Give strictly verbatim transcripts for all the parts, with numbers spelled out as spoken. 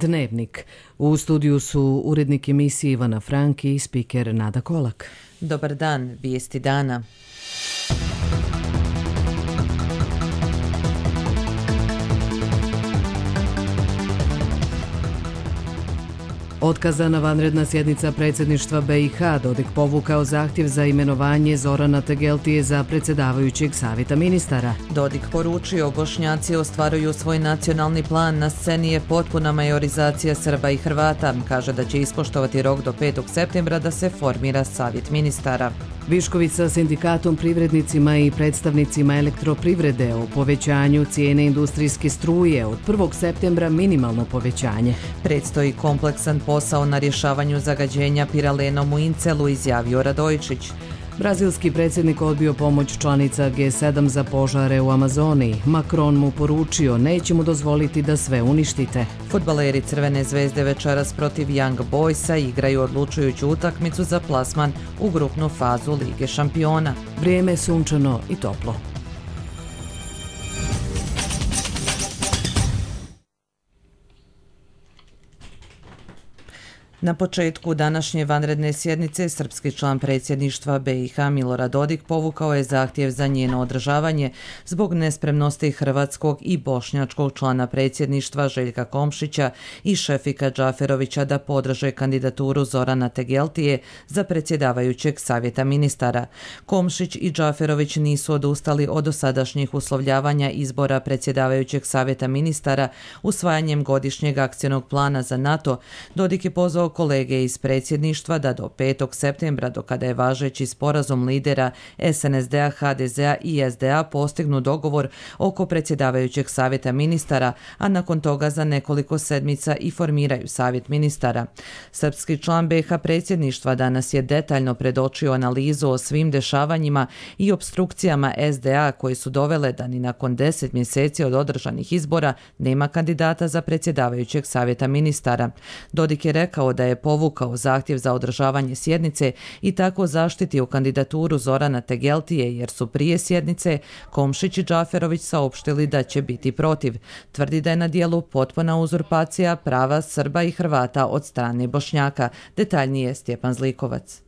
Dnevnik. U studiju su urednik emisije Ivana Frank i spiker Nada Kolak. Dobar dan, vijesti dana. Otkazana vanredna sjednica predsjedništva B i H, Dodik povukao zahtjev za imenovanje Zorana Tegeltije za predsjedavajućeg savjeta ministara. Dodik poručio, Bošnjaci ostvaruju svoj nacionalni plan, na sceni je potpuna majorizacija Srba i Hrvata. Kaže da će ispoštovati rok do petog septembra da se formira savjet ministara. Višković sa sindikatom, privrednicima i predstavnicima elektroprivrede o povećanju cijene industrijske struje, od prvog septembra minimalno povećanje. Predstoji kompleksan posao na rješavanju zagađenja piralenom u Incelu, izjavio Radojičić. Brazilski predsjednik odbio pomoć članica G sedam za požare u Amazoniji. Macron mu poručio, neće mu dozvoliti da sve uništite. Fudbaleri Crvene zvezde večeras protiv Young Boysa igraju odlučujuću utakmicu za plasman u grupnu fazu Lige šampiona. Vrijeme je sunčano i toplo. Na početku današnje vanredne sjednice srpski član predsjedništva B i H Milorad Dodik povukao je zahtjev za njeno održavanje zbog nespremnosti hrvatskog i bošnjačkog člana predsjedništva Željka Komšića i Šefika Džaferovića da podrže kandidaturu Zorana Tegeltije za predsjedavajućeg savjeta ministara. Komšić i Džaferović nisu odustali od dosadašnjih uslovljavanja izbora predsjedavajućeg savjeta ministara usvajanjem godišnjeg akcionog plana za NATO. Dodik je pozvao kolege iz predsjedništva da do petog septembra, do kada je važeći sporazum lidera S N S D-a, H D Z-a i S D A postignu dogovor oko predsjedavajućeg savjeta ministara, a nakon toga za nekoliko sedmica i formiraju savjet ministara. Srpski član B i H predsjedništva danas je detaljno predočio analizu o svim dešavanjima i opstrukcijama S D A koji su dovele da ni nakon deset mjeseci od održanih izbora nema kandidata za predsjedavajućeg savjeta ministara. Dodik je rekao da je povukao zahtjev za održavanje sjednice i tako zaštitio kandidaturu Zorana Tegeltije jer su prije sjednice Komšić i Džaferović saopštili da će biti protiv. Tvrdi da je na dijelu potpuna uzurpacija prava Srba i Hrvata od strane Bošnjaka. Detaljnije Stjepan Zlikovac.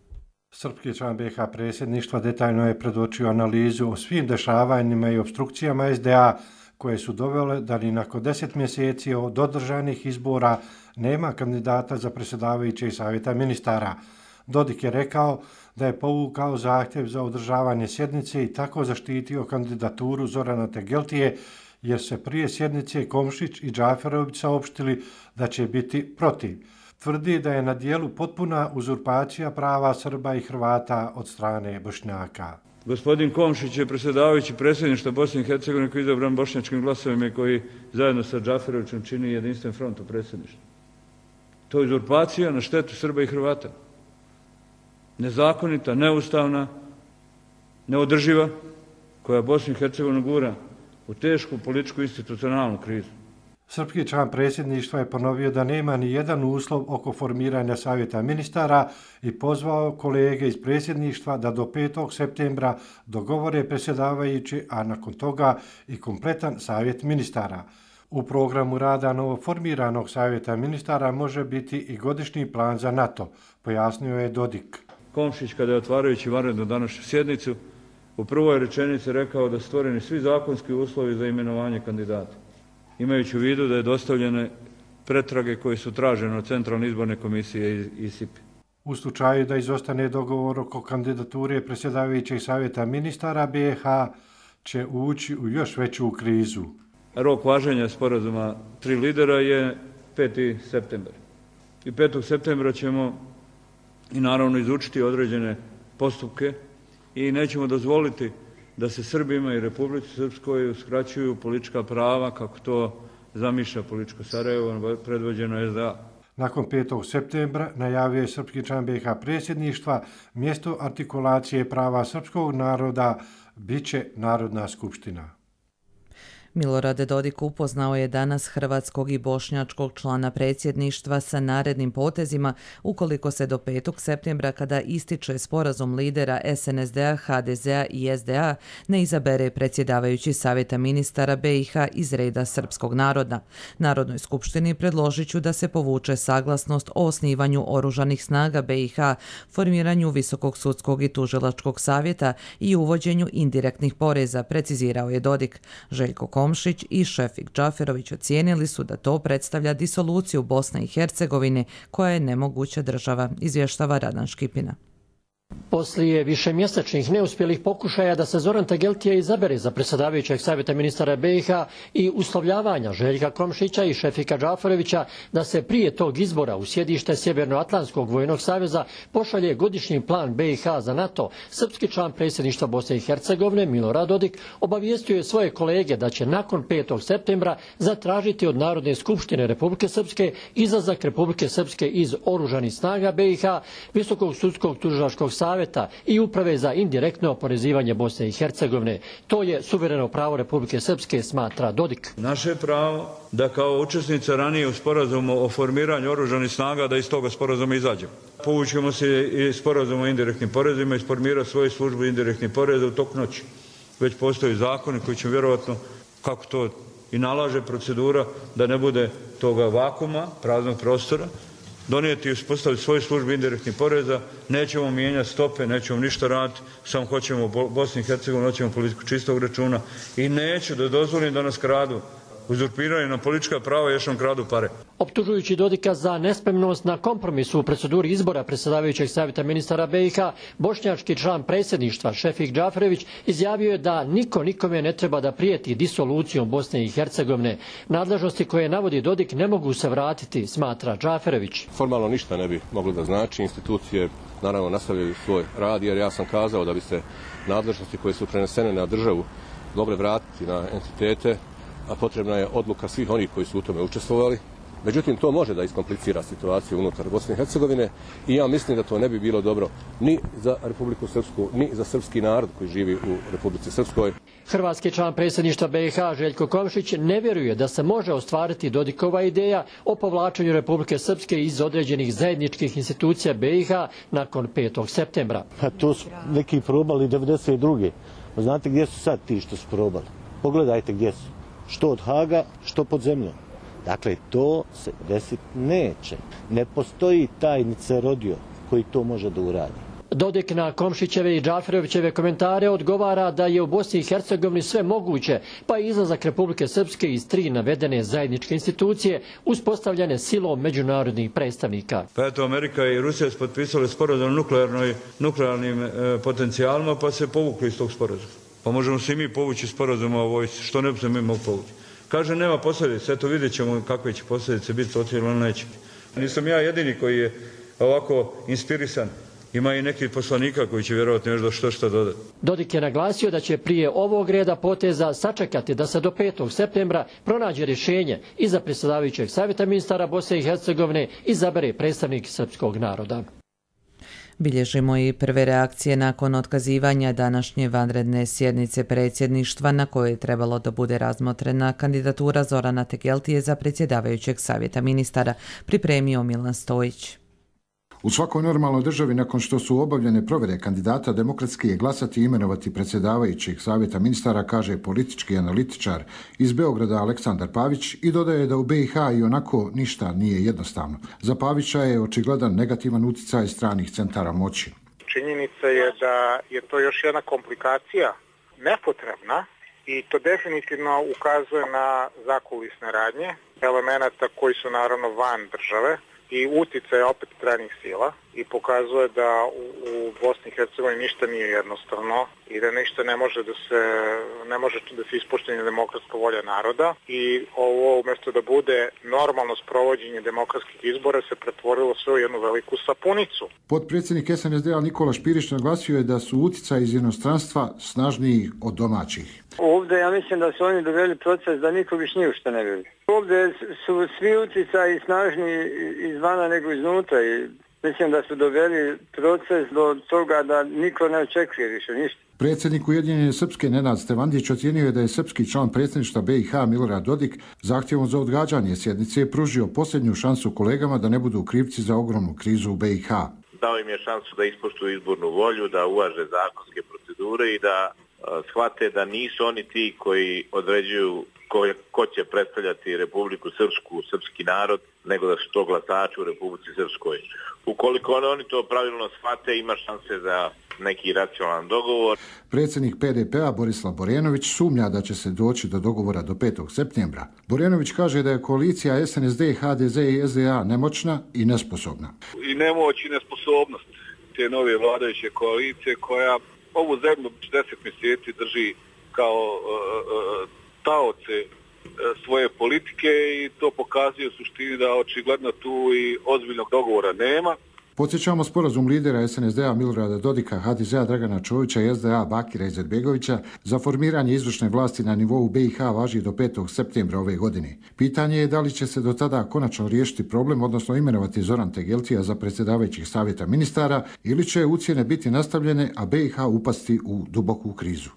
Srpski član B i H predsjedništva detaljno je predočio analizu o svim dešavanjima i opstrukcijama S D A koje su dovele da ni nakon deset mjeseci od održanih izbora nema kandidata za predsjedavajućeg savjeta ministara. Dodik je rekao da je povukao zahtjev za održavanje sjednice i tako zaštitio kandidaturu Zorana Tegeltije jer se prije sjednice Komšić i Džaferović saopštili da će biti protiv. Tvrdi da je na dijelu potpuna uzurpacija prava Srba i Hrvata od strane Bošnjaka. Gospodin Komšić je predsjedavajući predsjedništva Bosne i Hercegovine koji je izabran bošnjačkim glasovima i koji zajedno sa Džaferovićem čini jedinstven front u predsjedništvu. To je uzurpacija na štetu Srba i Hrvata. Nezakonita, neustavna, neodrživa, koja Bosnu i Hercegovinu gura u tešku političku institucionalnu krizu. Srpski član predsjedništva je ponovio da nema ni jedan uslov oko formiranja savjeta ministara i pozvao kolege iz predsjedništva da do petog septembra dogovore predsjedavajući, a nakon toga i kompletan savjet ministara. U programu rada novoformiranog savjeta ministara može biti i godišnji plan za NATO, pojasnio je Dodik. Komšić, kada je otvarajući vanrednu današnju sjednicu, u prvoj rečenici rekao da su stvoreni svi zakonski uslovi za imenovanje kandidata, imajući u vidu da je dostavljene pretrage koje su tražene od Centralne izborne komisije i S I P. U slučaju da izostane dogovor oko kandidature predsjedavajućeg savjeta ministara, B i H će ući u još veću krizu. Rok važenja sporazuma tri lidera je peti septembar. I petog septembra ćemo i naravno izučiti određene postupke i nećemo dozvoliti da se Srbima i Republici Srpskoj uskraćuju politička prava kako to zamišlja političko Sarajevo predvođeno S D A. Nakon petog septembra najavio je srpski član B i H predsjedništva mjesto artikulacije prava srpskog naroda biće Narodna skupština. Milorad Dodik upoznao je danas hrvatskog i bošnjačkog člana predsjedništva sa narednim potezima ukoliko se do petog septembra, kada ističe sporazum lidera S N S D-a, H D Z-a i S D A, ne izabere predsjedavajući Savjeta ministara B i H iz reda srpskog naroda. Narodnoj skupštini predložit ću da se povuče saglasnost o osnivanju oružanih snaga B i H, formiranju Visokog sudskog i tužilačkog savjeta i uvođenju indirektnih poreza, precizirao je Dodik. Željko Komšić i Šefik Džaferović ocijenili su da to predstavlja disoluciju Bosne i Hercegovine, koja je nemoguća država, izvještava Radan Škipina. Poslije višemjesečnih neuspjelih pokušaja da se Zoran Tegeltije izabere za predsjedavajućeg savjeta ministara B i H i uslovljavanja Željka Komšića i Šefika Džaferovića da se prije tog izbora u sjedište Sjevernoatlantskog vojnog saveza pošalje godišnji plan B i H za NATO, srpski član predsjedništva Bosne i Hercegovine Milorad Dodik obavijestio je svoje kolege da će nakon petog septembra zatražiti od Narodne skupštine Republike Srpske izlazak Republike Srpske iz oružanih snaga B i H, Visokog sudskog tužilačkog savjeta i uprave za indirektno oporezivanje Bosne i Hercegovine. To je suvereno pravo Republike Srpske, smatra Dodik. Naše je pravo da kao učesnica ranije u sporazumu o formiranju oružanih snaga da iz toga sporazuma izađemo. Povućemo se i sporazum o indirektnim porezima i formirati svoju službu indirektnih poreza u toku noći. Već postoji zakoni koji će vjerovatno, kako to i nalaže procedura, da ne bude toga vakuma, praznog prostora, donijeti i uspostaviti svoju službu indirektnih poreza, nećemo mijenjati stope, nećemo ništa raditi, samo hoćemo u Bosni i Hercegovini, hoćemo politiku čistog računa i neću da dozvolim da nas kradu, uzurpiraju na politička prava i još nam kradu pare. Optužujući Dodika za nespremnost na kompromisu u proceduri izbora predsjedavajućeg savjeta ministara B i H, bošnjački član predsjedništva Šefik Džaferović izjavio je da niko nikome ne treba da prijeti disolucijom Bosne i Hercegovine. Nadležnosti koje navodi Dodik ne mogu se vratiti, smatra Džaferović. Formalno ništa ne bi moglo da znači, institucije naravno nastavljaju svoj rad, jer ja sam kazao da bi se nadležnosti koje su prenesene na državu mogle vratiti na entitete, a potrebna je odluka svih onih koji su u tome učestvovali. Međutim, to može da iskomplicira situaciju unutar Bosne i Hercegovine i ja mislim da to ne bi bilo dobro ni za Republiku Srpsku, ni za srpski narod koji živi u Republici Srpskoj. Hrvatski član predsjedništva B i H Željko Komšić ne vjeruje da se može ostvariti Dodikova ideja o povlačenju Republike Srpske iz određenih zajedničkih institucija B i H nakon petog septembra. Pa to su neki probali devedeset druge. Znate gdje su sad ti što su probali? Pogledajte gdje su. Što od Haga, što pod zemljom. Dakle, to se desiti neće. Ne postoji tajnica rodio koji to može da uradi. Dodik na Komšićeve i Džaferovićeve komentare odgovara da je u Bosni i Hercegovini sve moguće, pa i izlazak Republike Srpske iz tri navedene zajedničke institucije uspostavljene silom međunarodnih predstavnika. Pa eto, Amerika i Rusija su potpisali sporazum o nuklearnim e, potencijalima, pa se povukli iz tog sporazuma. Pa možemo se i mi povući sporazuma o vojsci, što ne bi se mi mogli povući. Kaže, nema posljedice, eto vidjet ćemo kakve će posljedice biti, to cijelo neće. Nisam ja jedini koji je ovako inspirisan. Ima i nekih poslanika koji će vjerovatno još da što što dodati. Dodik je naglasio da će prije ovog reda poteza sačekati da se do petog septembra pronađe rješenje i za predsjedavajućeg savjeta ministara Bosne i Hercegovine izabere predstavnik srpskog naroda. Bilježimo i prve reakcije nakon otkazivanja današnje vanredne sjednice predsjedništva na kojoj je trebalo da bude razmotrena kandidatura Zorana Tegeltije za predsjedavajućeg savjeta ministara, pripremio Milan Stojić. U svakoj normalnoj državi, nakon što su obavljene provjere kandidata, demokratski je glasati i imenovati predsjedavajućeg savjeta ministara, kaže politički analitičar iz Beograda Aleksandar Pavić i dodaje da u B i H i onako ništa nije jednostavno. Za Pavića je očigledan negativan utjecaj stranih centara moći. Činjenica je da je to još jedna komplikacija nepotrebna i to definitivno ukazuje na zakulisne radnje, elemenata koji su naravno van države i utjecaj opet stranih sila i pokazuje da u, u Bosni i Hercegovini ništa nije jednostavno i da ništa ne može da se ne može da se ispoštuje demokratska volja naroda i ovo umjesto da bude normalno sprovođenje demokratskih izbora se pretvorilo sve u jednu veliku sapunicu. Potpredsjednik S N S D-a Nikola Špirić naglasio je da su utjecaji iz inostranstva snažniji od domaćih. Ovdje ja mislim da su oni doveli proces da niko više ni u što ne vidi. Ovdje su svi utjecaji snažniji izvana nego iznutra i mislim da su doveli proces do toga da niko ne očekuje više ništa. Predsjednik Ujedinjene Srpske Nenad Stevandić ocijenio je da je srpski član predsjedništva B i H Milorad Dodik zahtjevom za odgađanje sjednice pružio posljednju šansu kolegama da ne budu krivci za ogromnu krizu u B i H. Dao im je šansu da ispoštuju izbornu volju, da uvaže zakonske procedure i da uh, shvate da nisu oni ti koji određuju ko, ko će predstavljati Republiku Srpsku, srpski narod, nego da su to glasači u Republici Srpskoj. Ukoliko oni to pravilno shvate, ima šanse za neki racionalan dogovor. Predsjednik P D P-a Borislav Borenović sumnja da će se doći do dogovora do petog septembra. Borenović kaže da je koalicija S N S D, H D Z i S D A nemoćna i nesposobna. I nemoć i nesposobnost te nove vladajuće koalicije koja ovu zemlju deset mjeseci drži kao uh, taoce svoje politike i to pokazuje u suštini da očigledno tu i ozbiljnog dogovora nema. Podsjećamo sporazum lidera S N S D-a Milorada Dodika, H D Z-a Dragana Čovića i S D A Bakira Izetbegovića za formiranje izvršne vlasti na nivou B i H važi do petog septembra ove godine. Pitanje je da li će se do tada konačno riješiti problem, odnosno imenovati Zoran Tegeltija za predsjedavajućih savjeta ministara, ili će ucjene biti nastavljene, a B i H upasti u duboku krizu.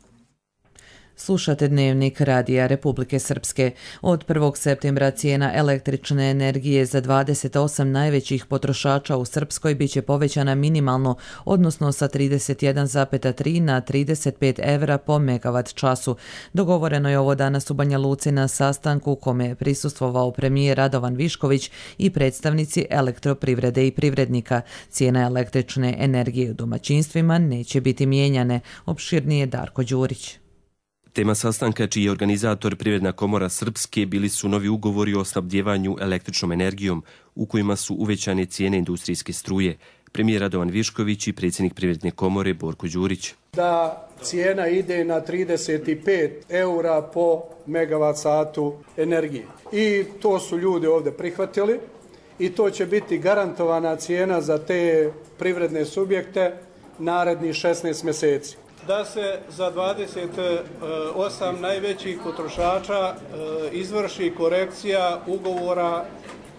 Slušate Dnevnik Radija Republike Srpske. Od prvog septembra cijena električne energije za dvadeset osam najvećih potrošača u Srpskoj biće povećana minimalno, odnosno sa trideset jedan zarez tri na trideset pet evra po megavat času. Dogovoreno je ovo danas u Banja Luci na sastanku kome je prisustvovao premijer Radovan Višković i predstavnici elektroprivrede i privrednika. Cijena električne energije u domaćinstvima neće biti mijenjane. Opširnije Darko Đurić. Tema sastanka, čiji je organizator Privredna komora Srpske, bili su novi ugovori o snabdjevanju električnom energijom, u kojima su uvećane cijene industrijske struje. Premijer Radovan Višković i predsjednik Privredne komore Borko Đurić. Da cijena ide na trideset pet eura po megavat satu energije. I to su ljudi ovdje prihvatili i to će biti garantovana cijena za te privredne subjekte narednih šesnaest mjeseci. Da se za dvadeset osam najvećih potrošača izvrši korekcija ugovora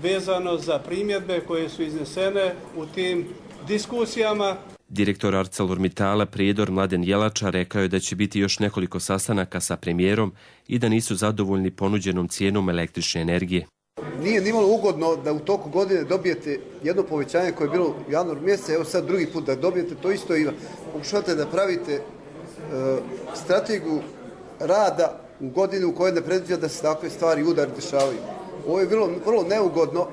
vezano za primjedbe koje su iznesene u tim diskusijama. Direktor ArcelorMittala Prijedor Mladen Jelača rekao je da će biti još nekoliko sastanaka sa premijerom i da nisu zadovoljni ponuđenom cijenom električne energije. Nije nimalo ugodno da u toku godine dobijete jedno povećanje koje je bilo u januaru mjesecu, evo sad drugi put da dobijete to isto i pokušavate da pravite e, strategiju rada u godinu u kojoj ne predviđa da se takve stvari udar dešavaju. Ovo je vrlo, vrlo neugodno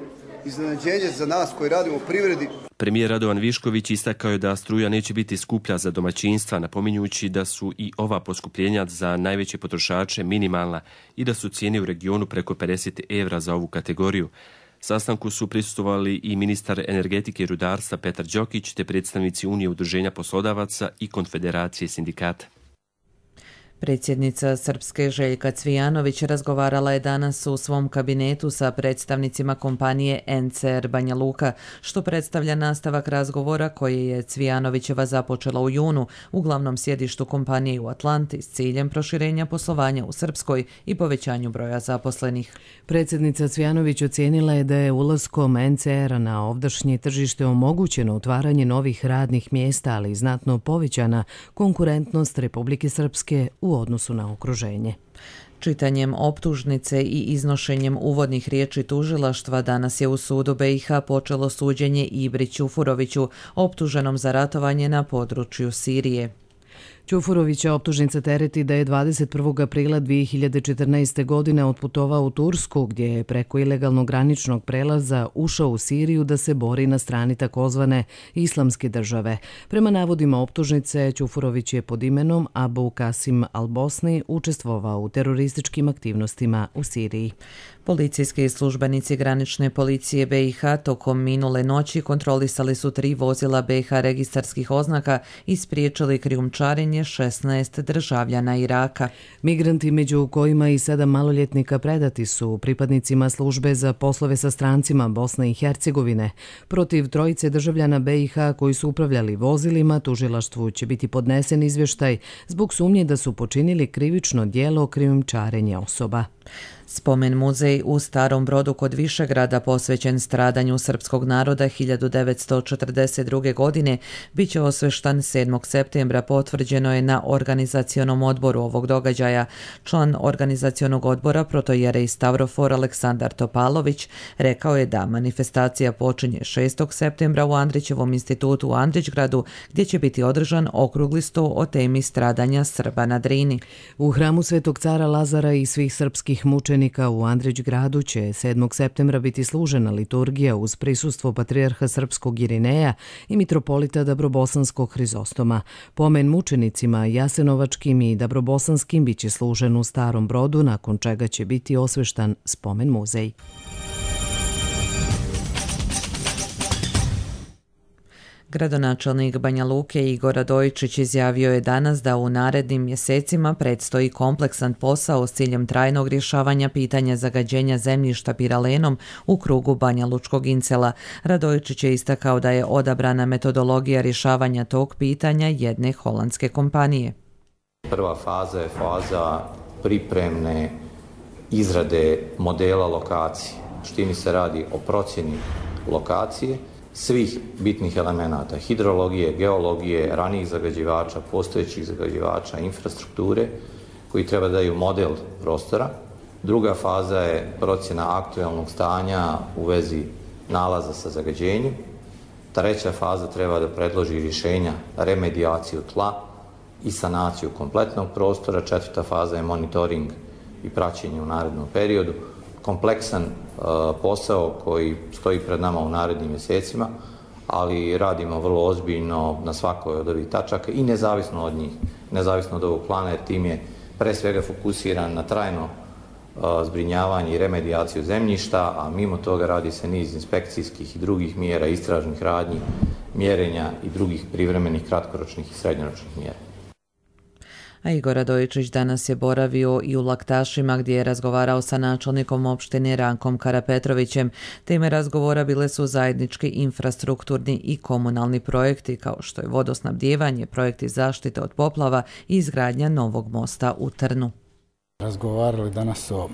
iznenađenje za nas koji radimo u privredi. Premijer Radovan Višković istakao je da struja neće biti skuplja za domaćinstva, napominjući da su i ova poskupljenja za najveće potrošače minimalna i da su cijene u regionu preko pedeset evra za ovu kategoriju. Sastanku su prisustvovali i ministar energetike i rudarstva Petar Đokić te predstavnici Unije udruženja poslodavaca i Konfederacije sindikata. Predsjednica Srpske Željka Cvijanović razgovarala je danas u svom kabinetu sa predstavnicima kompanije N C R Banja Luka, što predstavlja nastavak razgovora koje je Cvijanovićeva započela u junu u glavnom sjedištu kompanije u Atlanti s ciljem proširenja poslovanja u Srpskoj i povećanju broja zaposlenih. Predsjednica Cvijanović ocijenila je da je ulaskom N C R-a na ovdašnje tržište omogućeno otvaranje novih radnih mjesta, ali i znatno povećana konkurentnost Republike Srpske u odnosu na okruženje. Čitanjem optužnice i iznošenjem uvodnih riječi tužilaštva danas je u sudu B i H počelo suđenje Ibri Ćufuroviću, optuženom za ratovanje na području Sirije. Ćufurovića optužnica tereti da je dvadeset prvog aprila dvije hiljade četrnaeste. godine otputovao u Tursku, gdje je preko ilegalnog graničnog prelaza ušao u Siriju da se bori na strani takozvane Islamske države. Prema navodima optužnice, Ćufurović je pod imenom Abu Kasim al-Bosni učestvovao u terorističkim aktivnostima u Siriji. Policijski službenici granične policije B i H tokom minule noći kontrolisali su tri vozila B i H registarskih oznaka i spriječili krijumčarenje šesnaest državljana Iraka. Migranti, među kojima i sedam maloljetnika, predati su pripadnicima službe za poslove sa strancima Bosne i Hercegovine. Protiv trojice državljana B i H koji su upravljali vozilima, tužilaštvu će biti podnesen izvještaj zbog sumnje da su počinili krivično djelo krijumčarenja osoba. Spomen muzej u Starom Brodu kod Višegrada posvećen stradanju srpskog naroda hiljadu devetsto četrdeset druge. godine bit će osveštan sedmog septembra, potvrđeno je na organizacionom odboru ovog događaja. Član organizacionog odbora protojerej Stavrofor Aleksandar Topalović rekao je da manifestacija počinje šestog septembra u Andrićevom institutu u Andrićgradu, gdje će biti održan okrugli sto o temi stradanja Srba na Drini. U hramu Svetog cara Lazara i svih srpskih mučenika u Andrićgradu će sedmog septembra biti služena liturgija uz prisustvo patrijarha srpskog Irineja i mitropolita Dabrobosanskog Hrizostoma. Pomen mučenicima jasenovačkim i dabrobosanskim biće služen u Starom Brodu, nakon čega će biti osveštan spomen muzej. Gradonačelnik Banja Luke Igor Radojičić izjavio je danas da u narednim mjesecima predstoji kompleksan posao s ciljem trajnog rješavanja pitanja zagađenja zemljišta piralenom u krugu Banja Lučkog incela. Radojičić je istakao da je odabrana metodologija rješavanja tog pitanja jedne holandske kompanije. Prva faza je faza pripremne izrade modela lokacije. U suštini se radi o procjeni lokacije svih bitnih elemenata, hidrologije, geologije, ranijih zagađivača, postojećih zagađivača, infrastrukture, koji treba da daju model prostora. Druga faza je procjena aktualnog stanja u vezi nalaza sa zagađenjem. Treća faza treba da predloži rješenja, remedijaciju tla i sanaciju kompletnog prostora. Četvrta faza je monitoring i praćenje u narednom periodu. Kompleksan uh, posao koji stoji pred nama u narednim mjesecima, ali radimo vrlo ozbiljno na svakoj od ovih tačaka i nezavisno od njih, nezavisno od ovog plana, jer tim je pre svega fokusiran na trajno uh, zbrinjavanje i remedijaciju zemljišta, a mimo toga radi se niz inspekcijskih i drugih mjera, istražnih radnji, mjerenja i drugih privremenih kratkoročnih i srednjoročnih mjera. A Igor Radojičić danas je boravio i u Laktašima, gdje je razgovarao sa načelnikom opštine Rankom Karapetrovićem. Teme razgovora bile su zajednički infrastrukturni i komunalni projekti, kao što je vodosnabdijevanje, projekti zaštite od poplava i izgradnja novog mosta u Trnu. Razgovarali danas o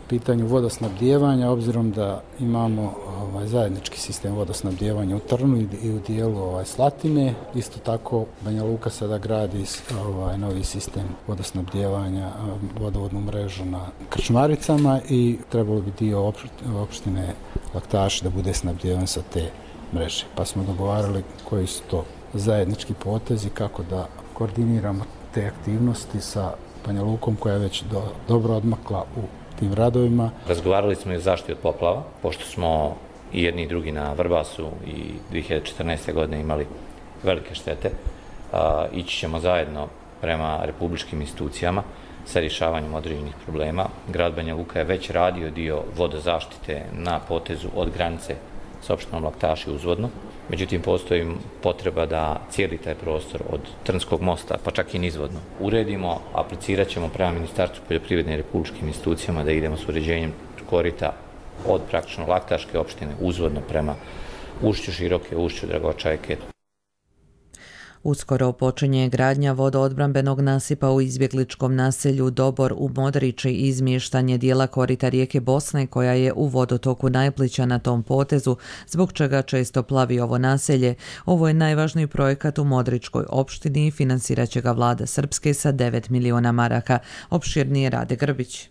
pitanju vodosnabdijevanja, obzirom da imamo ovaj, zajednički sistem vodosnabdijevanja u Trnu i, i u dijelu ovaj, Slatine. Isto tako Banja Luka sada gradi ovaj, novi sistem vodosnabdijevanja, vodovodnu mrežu na Krčmaricama i trebalo bi dio opštine Laktaši da bude snabdijevan sa te mreže. Pa smo dogovarali koji su to zajednički potezi, kako da koordiniramo te aktivnosti sa Banja Lukom, koja je već do, dobro odmakla u tim radovima. Razgovarali smo i o zaštiti od poplava, pošto smo i jedni i drugi na Vrbasu i dvije hiljade četrnaeste. godine imali velike štete. A, ići ćemo zajedno prema republičkim institucijama sa rješavanjem određenih problema. Grad Banja Luka je već radio dio vodozaštite na potezu od granice s opštinom Laktaši uzvodno. Međutim, postoji potreba da cijeli taj prostor od Trnskog mosta, pa čak i nizvodno, uredimo. Aplicirat ćemo prema Ministarstvu poljoprivredne i republičkim institucijama da idemo s uređenjem korita od praktično Laktaške opštine uzvodno prema ušću Široke, ušću Dragočajke. Uskoro počinje gradnja vodoodbrambenog nasipa u izbjegličkom naselju Dobor u Modriči i izmještanje dijela korita rijeke Bosne, koja je u vodotoku najplića na tom potezu, zbog čega često plavi ovo naselje. Ovo je najvažniji projekat u Modričkoj opštini i financirat će ga vlada Srpske sa devet miliona maraka. Opširnije Rade Grbić.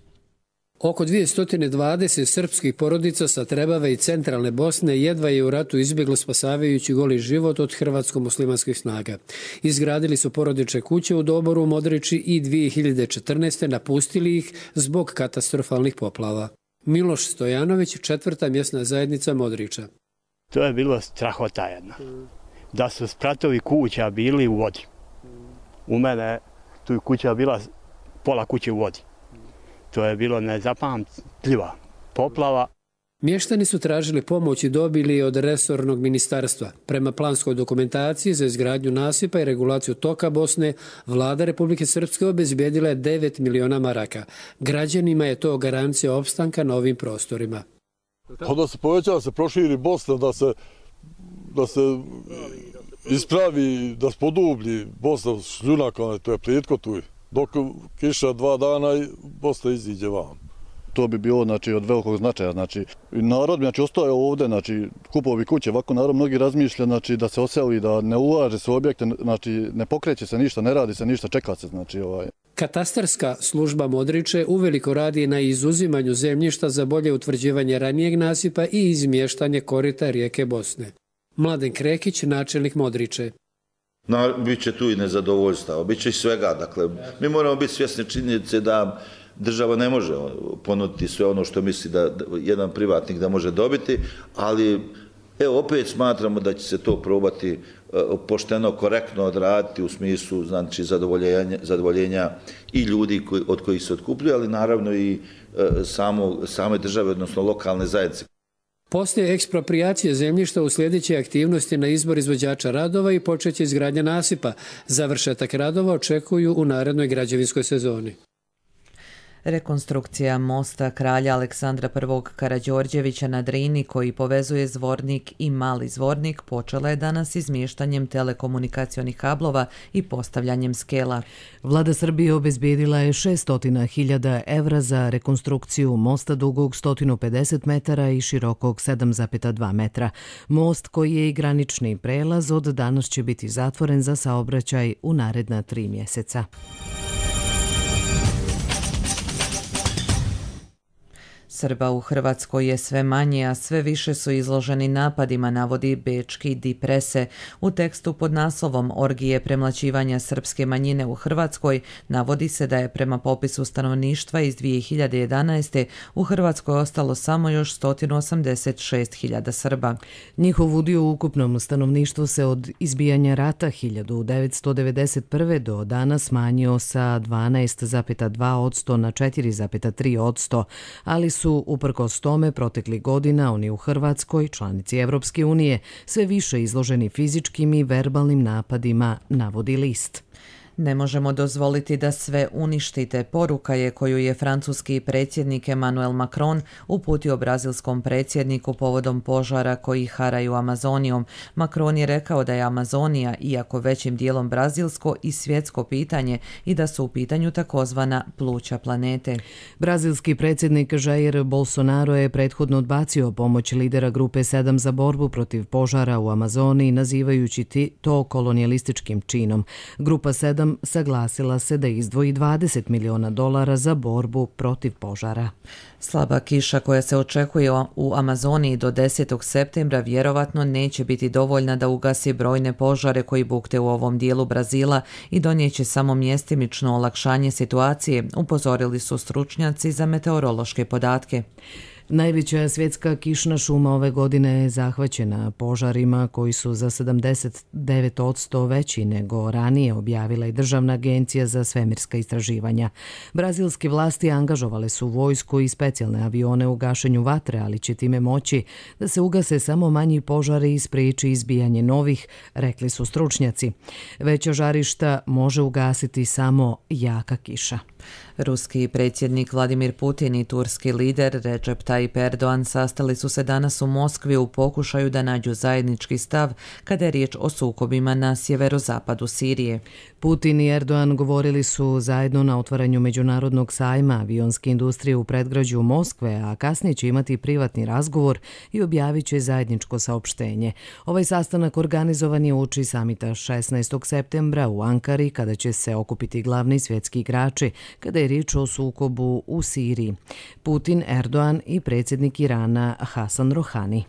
Oko dvjesto dvadeset srpskih porodica sa Trebave i centralne Bosne jedva je u ratu izbjeglo spasavajući goli život od hrvatsko-muslimanskih snaga. Izgradili su porodične kuće u Doboru u Modriči i dvije hiljade četrnaeste. napustili ih zbog katastrofalnih poplava. Miloš Stojanović, četvrta mjesna zajednica Modriča. To je bilo strahota jedna. Da su spratovi kuća bili u vodi. U mene tu je kuća bila pola kuće u vodi. To je bilo nezapamtljiva poplava. Mještani su tražili pomoć i dobili od resornog ministarstva. Prema planskoj dokumentaciji za izgradnju nasipa i regulaciju toka Bosne, vlada Republike Srpske obezbijedila je devet miliona maraka. Građanima je to garancija opstanka na ovim prostorima. Da se poveća, da se proširi Bosna, da se, da se ispravi, da se podublji Bosna šljunaka, to je plitko tu. Dok kiša dva dana, Bosna iziđe van. to bi bilo znači, od velikog značaja. Znači, narod znači, ostaje ovdje, znači, kupovi kuće, ovako narod mnogi razmišlja znači, da se oseli, da ne ulaže se u objekte, znači, ne pokreće se ništa, ne radi se ništa, čeka se. Znači, ovaj. Katastarska služba Modriče uveliko radi na izuzimanju zemljišta za bolje utvrđivanje ranijeg nasipa i izmještanje korita rijeke Bosne. Mladen Krekić, načelnik Modriče. Na, biće tu i nezadovoljstva, biće i svega. Dakle, mi moramo biti svjesni činjenice da država ne može ponuditi sve ono što misli da jedan privatnik da može dobiti, ali evo opet smatramo da će se to probati pošteno, korektno odraditi u smislu znači, zadovoljenja, zadovoljenja i ljudi koji, od kojih se otkupljuju, ali naravno i samo, same države, odnosno lokalne zajednice. Poslije eksproprijacije zemljišta uslijedit će aktivnosti na izbor izvođača radova i počeće izgradnja nasipa. Završetak radova očekuju u narednoj građevinskoj sezoni. Rekonstrukcija mosta kralja Aleksandra prvog Karađorđevića na Drini koji povezuje Zvornik i Mali Zvornik počela je danas izmještanjem telekomunikacionih kablova i postavljanjem skela. Vlada Srbije obezbijedila je šesto hiljada evra za rekonstrukciju mosta dugog sto pedeset metara i širokog sedam zarez dva metra. Most koji je i granični prelaz od danas će biti zatvoren za saobraćaj u naredna tri mjeseca. Srba u Hrvatskoj je sve manje, a sve više su izloženi napadima, navodi bečki Die Presse. U tekstu pod naslovom Orgije premlaćivanja srpske manjine u Hrvatskoj navodi se da je prema popisu stanovništva iz dvije hiljade jedanaeste. u Hrvatskoj ostalo samo još sto osamdeset šest hiljada Srba. Njihov udio u ukupnom stanovništvu se od izbijanja rata hiljadu devetsto devedeset prve. do danas smanjio sa dvanaest zarez dva posto na četiri zarez tri posto, ali su su uprkos tome proteklih godina oni u Hrvatskoj, članici Evropske unije, sve više izloženi fizičkim i verbalnim napadima, navodi list. Ne možemo dozvoliti da sve uništite, poruka je koju je francuski predsjednik Emmanuel Macron uputio brazilskom predsjedniku povodom požara koji haraju Amazonijom. Macron je rekao da je Amazonija, iako većim dijelom brazilsko i svjetsko pitanje i da su u pitanju takozvana pluća planete. Brazilski predsjednik Jair Bolsonaro je prethodno odbacio pomoć lidera grupe sedam za borbu protiv požara u Amazoniji, nazivajući to kolonijalističkim činom. Grupa sedam saglasila se da izdvoji dvadeset miliona dolara za borbu protiv požara. Slaba kiša koja se očekuje u Amazoniji do desetog septembra vjerovatno neće biti dovoljna da ugasi brojne požare koji bukte u ovom dijelu Brazila i donijeće samo mjestimično olakšanje situacije, upozorili su stručnjaci za meteorološke podatke. Najveća svjetska kišna šuma ove godine je zahvaćena požarima koji su za sedamdeset devet posto veći nego ranije, objavila i Državna agencija za svemirska istraživanja. Brazilske vlasti angažovale su vojsku i specijalne avione u gašenju vatre, ali će time moći da se ugase samo manji požari i spriječi izbijanje novih, rekli su stručnjaci. Veća žarišta može ugasiti samo jaka kiša. Ruski predsjednik Vladimir Putin i turski lider Recep Tayyip Erdogan sastali su se danas u Moskvi u pokušaju da nađu zajednički stav kada je riječ o sukobima na sjeverozapadu Sirije. Putin i Erdogan govorili su zajedno na otvaranju međunarodnog sajma avionske industrije u predgrađu Moskve, a kasnije će imati privatni razgovor i objavit će zajedničko saopštenje. Ovaj sastanak organizovan je uoči samita šesnaestog septembra u Ankari, kada će se okupiti glavni svjetski igrači, kada je riječ o sukobu u Siriji. Putin, Erdogan i predsjednik Irana Hasan Rohani.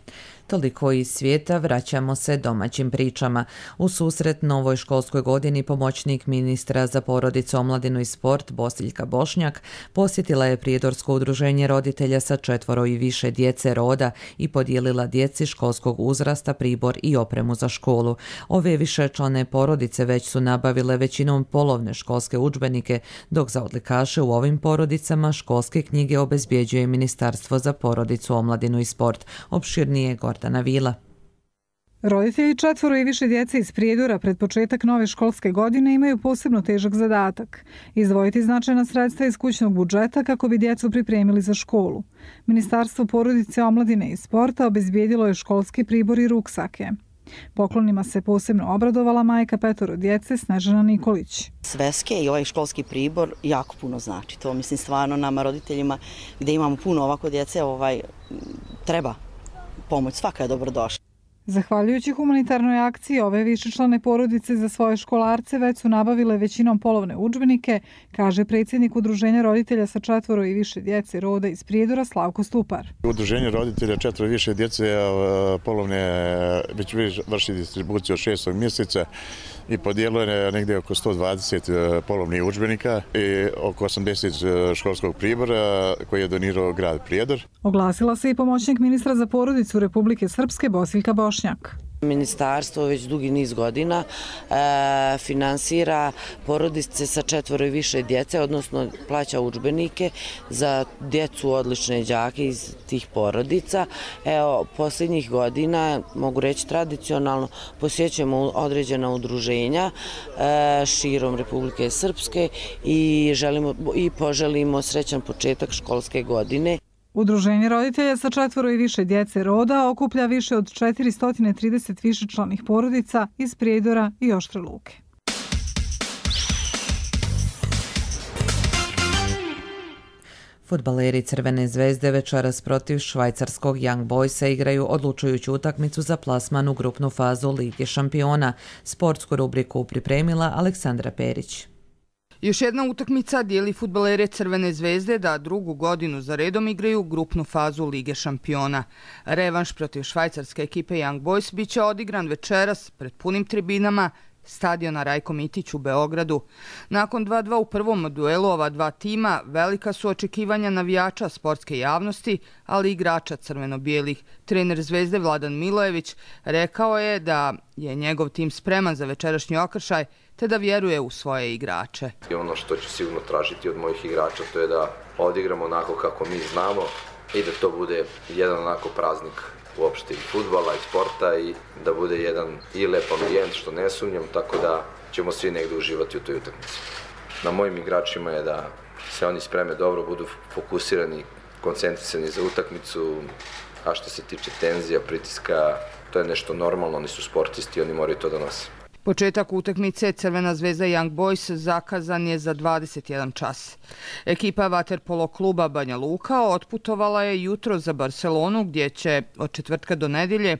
Toliko iz svijeta, vraćamo se domaćim pričama. U susret novoj školskoj godini pomoćnik ministra za porodicu, omladinu i sport Bosiljka Bošnjak posjetila je Prijedorsko udruženje roditelja sa četvoro i više djece roda i podijelila djeci školskog uzrasta pribor i opremu za školu. Ove višečlane porodice već su nabavile većinom polovne školske udžbenike, dok za odlikaše u ovim porodicama školske knjige obezbjeđuje Ministarstvo za porodicu, omladinu i sport. Opširnije Gordana Vila. Roditelji četvoro i više djece iz Prijedora pred početak nove školske godine imaju posebno težak zadatak – izdvojiti značajna sredstva iz kućnog budžeta kako bi djecu pripremili za školu. Ministarstvo porodice, omladine i sporta obezbijedilo je školski pribor i ruksake. Poklonima se posebno obradovala majka petoro djece Snežana Nikolić. Sveske i ovaj školski pribor jako puno znači. To mislim stvarno nama roditeljima gdje imamo puno ovako djece ovaj, treba pomoć, svaka je dobrodošla. Zahvaljujući humanitarnoj akciji, ove višečlane porodice za svoje školarce već su nabavile većinom polovne udžbenike, kaže predsjednik Udruženja roditelja sa četvoro i više djece roda iz Prijedora Slavko Stupar. Udruženje roditelja četvoro i više djece polovne već vrši distribuciju od šestog mjeseca i podijelo je negdje oko sto dvadeset polovnih udžbenika i oko osamdeset školskog pribora koji je donirao grad Prijedor. Oglasila se i pomoćnik ministra za porodicu Republike Srpske Bosiljka Bošnjak. Ministarstvo već dugi niz godina e, finansira porodice sa četvoro i više djece, odnosno plaća udžbenike za djecu odlične đake iz tih porodica. Evo, posljednjih godina, mogu reći tradicionalno, posjećujemo određena udruženja e, širom Republike Srpske i, želimo, i poželimo srećan početak školske godine. Udruženje roditelja sa četvoro i više djece roda okuplja više od četiristo trideset višečlanih porodica iz Prijedora i Oštre Luke. Fudbaleri Crvene zvezde večeras protiv švajcarskog Young Boysa igraju odlučujuću utakmicu za plasman u grupnu fazu Lige šampiona. Sportsku rubriku pripremila Aleksandra Perić. Još jedna utakmica dijeli fudbalere Crvene zvezde da drugu godinu za redom igraju grupnu fazu Lige šampiona. Revanš protiv švajcarske ekipe Young Boys biće odigran večeras pred punim tribinama stadiona Rajko Mitić u Beogradu. Nakon dva dva u prvom duelu ova dva tima, velika su očekivanja navijača sportske javnosti, ali i igrača crveno-bijelih. Trener Zvezde Vladan Milojević rekao je da je njegov tim spreman za večerašnji okršaj, te da vjeruje u svoje igrače. I ono što ću sigurno tražiti od mojih igrača to je da odigramo onako kako mi znamo i da to bude jedan onako praznik uopšte i fudbala i sporta i da bude jedan i lep ambijent što ne sumnjam, tako da ćemo svi negdje uživati u toj utakmici. Na mojim igračima je da se oni spreme dobro, budu fokusirani, koncentrisani za utakmicu, a što se tiče tenzija, pritiska, to je nešto normalno, oni su sportisti, oni moraju to da nose. Početak utakmice Crvena zvezda Young Boys zakazan je za dvadeset jedan čas. Ekipa vaterpolo kluba Banja Luka otputovala je jutro za Barcelonu gdje će od četvrtka do nedjelje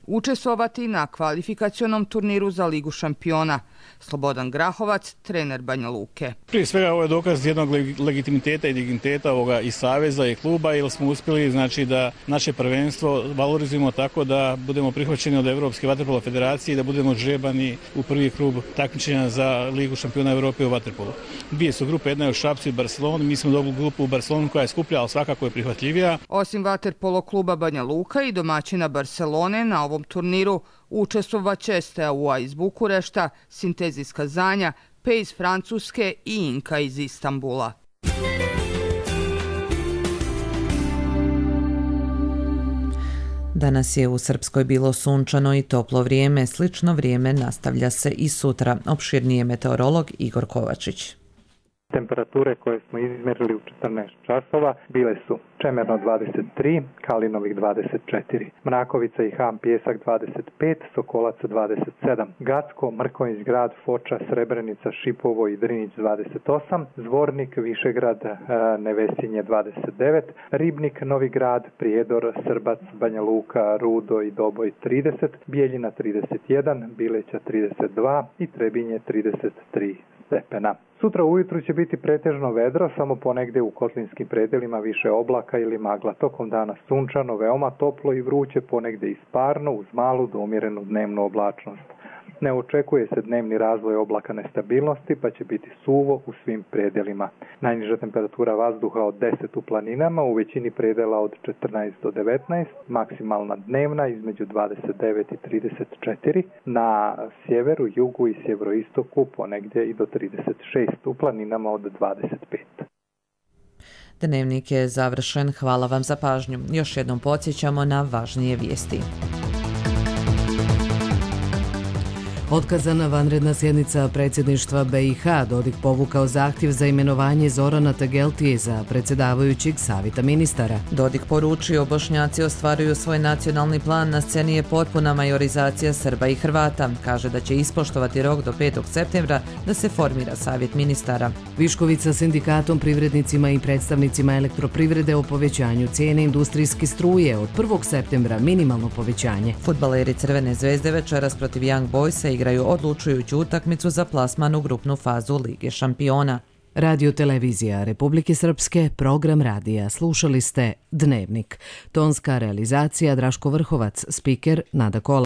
učestvovati na kvalifikacionom turniru za Ligu šampiona. Slobodan Grahovac, trener Banja Luke. Prije svega ovo je dokaz jednog legitimiteta i digniteta ovoga i saveza i kluba, jer smo uspjeli znači da naše prvenstvo valorizujemo tako da budemo prihvaćeni od Evropske vaterpolo federacije i da budemo žrebani u prvi krug takmičenja za Ligu šampiona Evrope u vaterpolu. Dvije su grupe, jedna je u Šapcu i Barceloni, mi smo dobili grupu u Barcelonu koja je skuplja, ali svakako je prihvatljivija. Osim vaterpolo kluba Banja Luka i domaćina Barcelone na ovom turniru učestvovat će Steaua iz Bukurešta, Sintez iz Kazanja, P iz Francuske i Inka iz Istanbula. Danas je u Srpskoj bilo sunčano i toplo vrijeme. Slično vrijeme nastavlja se i sutra. Opširnije meteorolog Igor Kovačić. Temperature koje smo izmjerili u četrnaest časova bile su Čemerno dvadeset tri, Kalinovih dvadeset četiri, Mrakovica i Ham Pjesak dvadeset pet, Sokolac dvadeset sedam, Gacko, Mrkonjić grad, Foča, Srebrenica, Šipovo i Drinić dvadeset osam, Zvornik, Višegrad, Nevesinje dvadeset devet, Ribnik, Novi grad, Prijedor, Srbac, Banja Luka, Rudo i Doboj trideset, Bijeljina trideset jedan, Bileća trideset dva i Trebinje trideset tri stepena. Sutra ujutru će biti pretežno vedro, samo ponegdje u kotlinskim predelima više oblaka ili magla. Tokom dana sunčano, veoma toplo i vruće, ponegdje isparno uz malu do umjerenu dnevnu oblačnost. Ne očekuje se dnevni razvoj oblaka nestabilnosti, pa će biti suvo u svim predelima. Najniža temperatura vazduha od deset u planinama, u većini predela od četrnaest do devetnaest, maksimalna dnevna između dvadeset devet i trideset četiri, na sjeveru, jugu i sjeveroistoku ponegdje i do trideset šest, u planinama od dvadeset pet. Dnevnik je završen. Hvala vam za pažnju. Još jednom podsjećamo na važnije vijesti. Otkazana vanredna sjednica predsjedništva B i H, Dodik povukao zahtjev za imenovanje Zorana Tegeltije za predsjedavajućeg savjeta ministara. Dodik poručio, Bošnjaci ostvaruju svoj nacionalni plan, na sceni je potpuna majorizacija Srba i Hrvata. Kaže da će ispoštovati rok do petog septembra da se formira savjet ministara. Viškovica sindikatom, privrednicima i predstavnicima elektroprivrede o povećanju cijene industrijske struje od prvog septembra minimalno povećanje. Fudbaleri Crvene zvezde večeras protiv Young Boysa igraju odlučujuću utakmicu za plasman u grupnu fazu Lige šampiona. Radio televizija Republike Srpske, program radija. Slušali ste Dnevnik. Tonska realizacija Draško Vrhovac, spiker Nada Kola.